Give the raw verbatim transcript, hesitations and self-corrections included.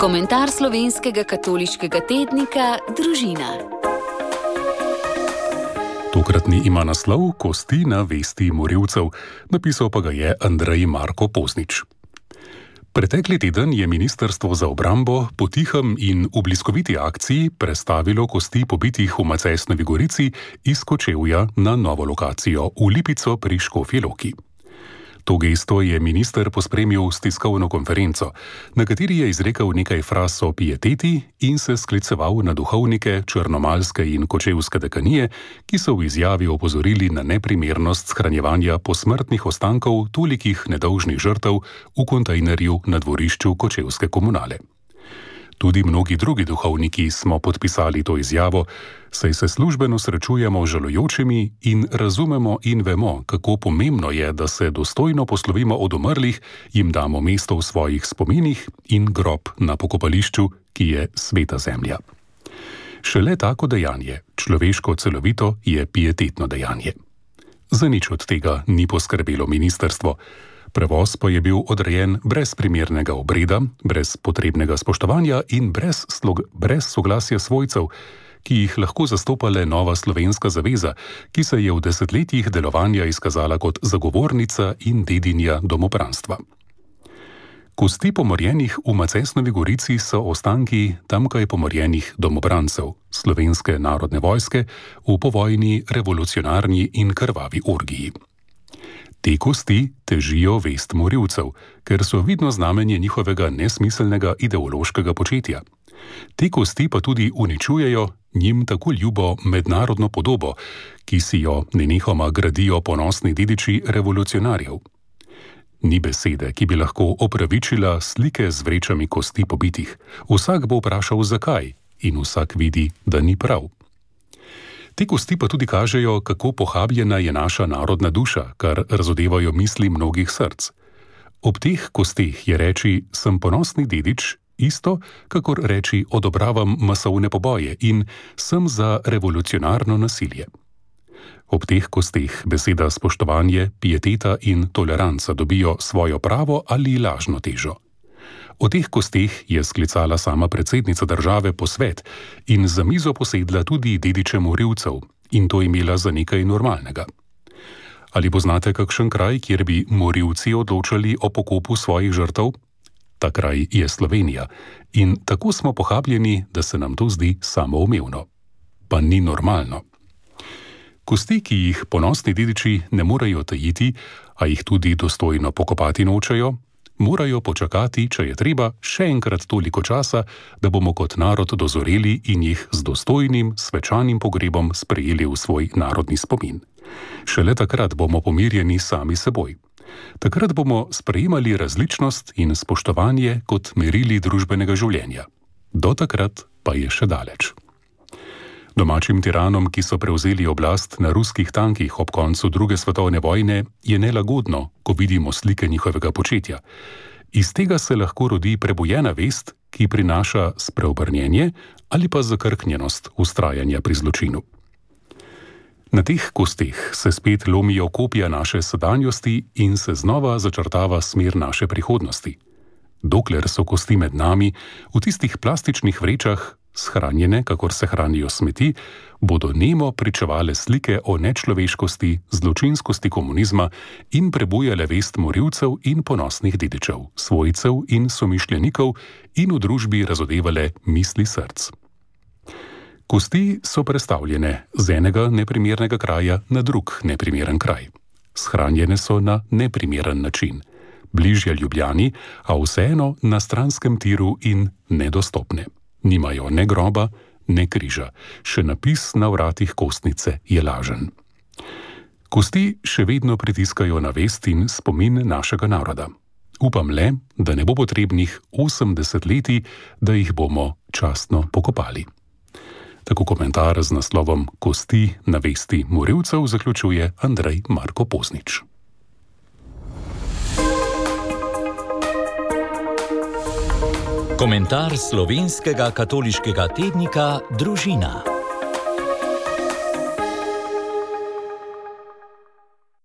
Komentar slovenskega katoliškega tednika Družina. Tokratni ima naslov Kosti na vesti morilcev, napisal pa ga je Andrej Marko Poznič. Pretekli teden je Ministrstvo za obrambo po tihem in v bliskoviti akciji prestavilo kosti pobitih v Macesnovi Gorici iz Kočevja na novo lokacijo v Lipico pri Škofji Loki. To gesto je minister pospremil s tiskovno konferenco, na kateri je izrekel nekaj fraz o pieteti in se skliceval na duhovnike črnomaljske in kočevske dekanije, ki so v izjavi opozorili na neprimernost shranjevanja posmrtnih ostankov tolikih nedolžnih žrtev v kontejnerju na dvorišču kočevske komunale. Tudi mnogi drugi duhovniki smo podpisali to izjavo, saj se službeno srečujemo z žalujočimi in razumemo in vemo, kako pomembno je, da se dostojno poslovimo od umrlih, jim damo mesto v svojih spominih in grob na pokopališču, ki je sveta zemlja. Šele tako dejanje, človeško celovito, je pietetno dejanje. Za nič od tega ni poskrbelo ministrstvo. Prevoz pa je bil odrejen brez primernega obreda, brez potrebnega spoštovanja in brez, slog, brez soglasja svojcev, ki jih lahko zastopale Nova slovenska zaveza, ki se je v desetletjih delovanja izkazala kot zagovornica in dedinja domobranstva. Kosti pomorjenih v Macesnovi Gorici so ostanki tamkaj pomorjenih domobrancev Slovenske narodne vojske v povojni revolucionarni in krvavi orgiji. Te kosti težijo vest morilcev, ker so vidno znamenje njihovega nesmiselnega ideološkega početja. Te kosti pa tudi uničujejo njim tako ljubo mednarodno podobo, ki si jo nenehoma gradijo ponosni dediči revolucionarjev. Ni besede, ki bi lahko opravičila slike z vrečami kosti pobitih. Vsak bo vprašal zakaj in vsak vidi, da ni prav. Te kosti pa tudi kažejo, kako pohabljena je naša narodna duša, kar razodevajo misli mnogih src. Ob teh kosteh je reči sem ponosni dedič isto, kakor reči odobravam masovne poboje in sem za revolucionarno nasilje. Ob teh kosteh beseda spoštovanje, pieteta in toleranca dobijo svojo pravo ali lažno težo. O teh kosteh je sklicala sama predsednica države posvet in za mizo posedla tudi dediče morilcev in to imela za nekaj normalnega. Ali poznate kakšen kraj, kjer bi morilci odločali o pokopu svojih žrtev? Ta kraj je Slovenija in tako smo pohabljeni, da se nam to zdi samoumevno. Pa ni normalno. Kosti, ki jih ponosni dediči ne morejo tajiti, a jih tudi dostojno pokopati nočejo, morajo počakati, če je treba, še enkrat toliko časa, da bomo kot narod dozoreli in jih z dostojnim, svečanim pogrebom sprejeli v svoj narodni spomin. Šele takrat bomo pomirjeni sami seboj. Takrat bomo sprejemali različnost in spoštovanje kot merili družbenega življenja. Do takrat pa je še daleč. Domačim tiranom, ki so prevzeli oblast na ruskih tankih ob koncu druge svetovne vojne, je nelagodno, ko vidimo slike njihovega početja. Iz tega se lahko rodi prebujena vest, ki prinaša spreobrnjenje ali pa zakrknjenost vztrajanja pri zločinu. Na teh kosteh se spet lomijo kopja naše sedanjosti in se znova začrtava smer naše prihodnosti. Dokler so kosti med nami, v tistih plastičnih vrečah, shranjene, kakor se hranijo smeti, bodo nemo pričevale slike o nečloveškosti, zločinskosti komunizma in prebujale vest morilcev in ponosnih dedičev, svojcev in somišljenikov in v družbi razodevale misli src. Kosti so prestavljene z enega neprimernega kraja na drug neprimeren kraj. Shranjene so na neprimeren način, bližje Ljubljani, a vseeno na stranskem tiru in nedostopne. Nimajo ne groba, ne križa. Še napis na vratih kostnice je lažen. Kosti še vedno pritiskajo na vest in spomin našega naroda. Upam le, da ne bo potrebnih osemdeset letij, da jih bomo častno pokopali. Tako komentar z naslovom Kosti na vesti morilcev zaključuje Andrej Marko Poznič. Komentar slovenskega katoliškega tednika Družina.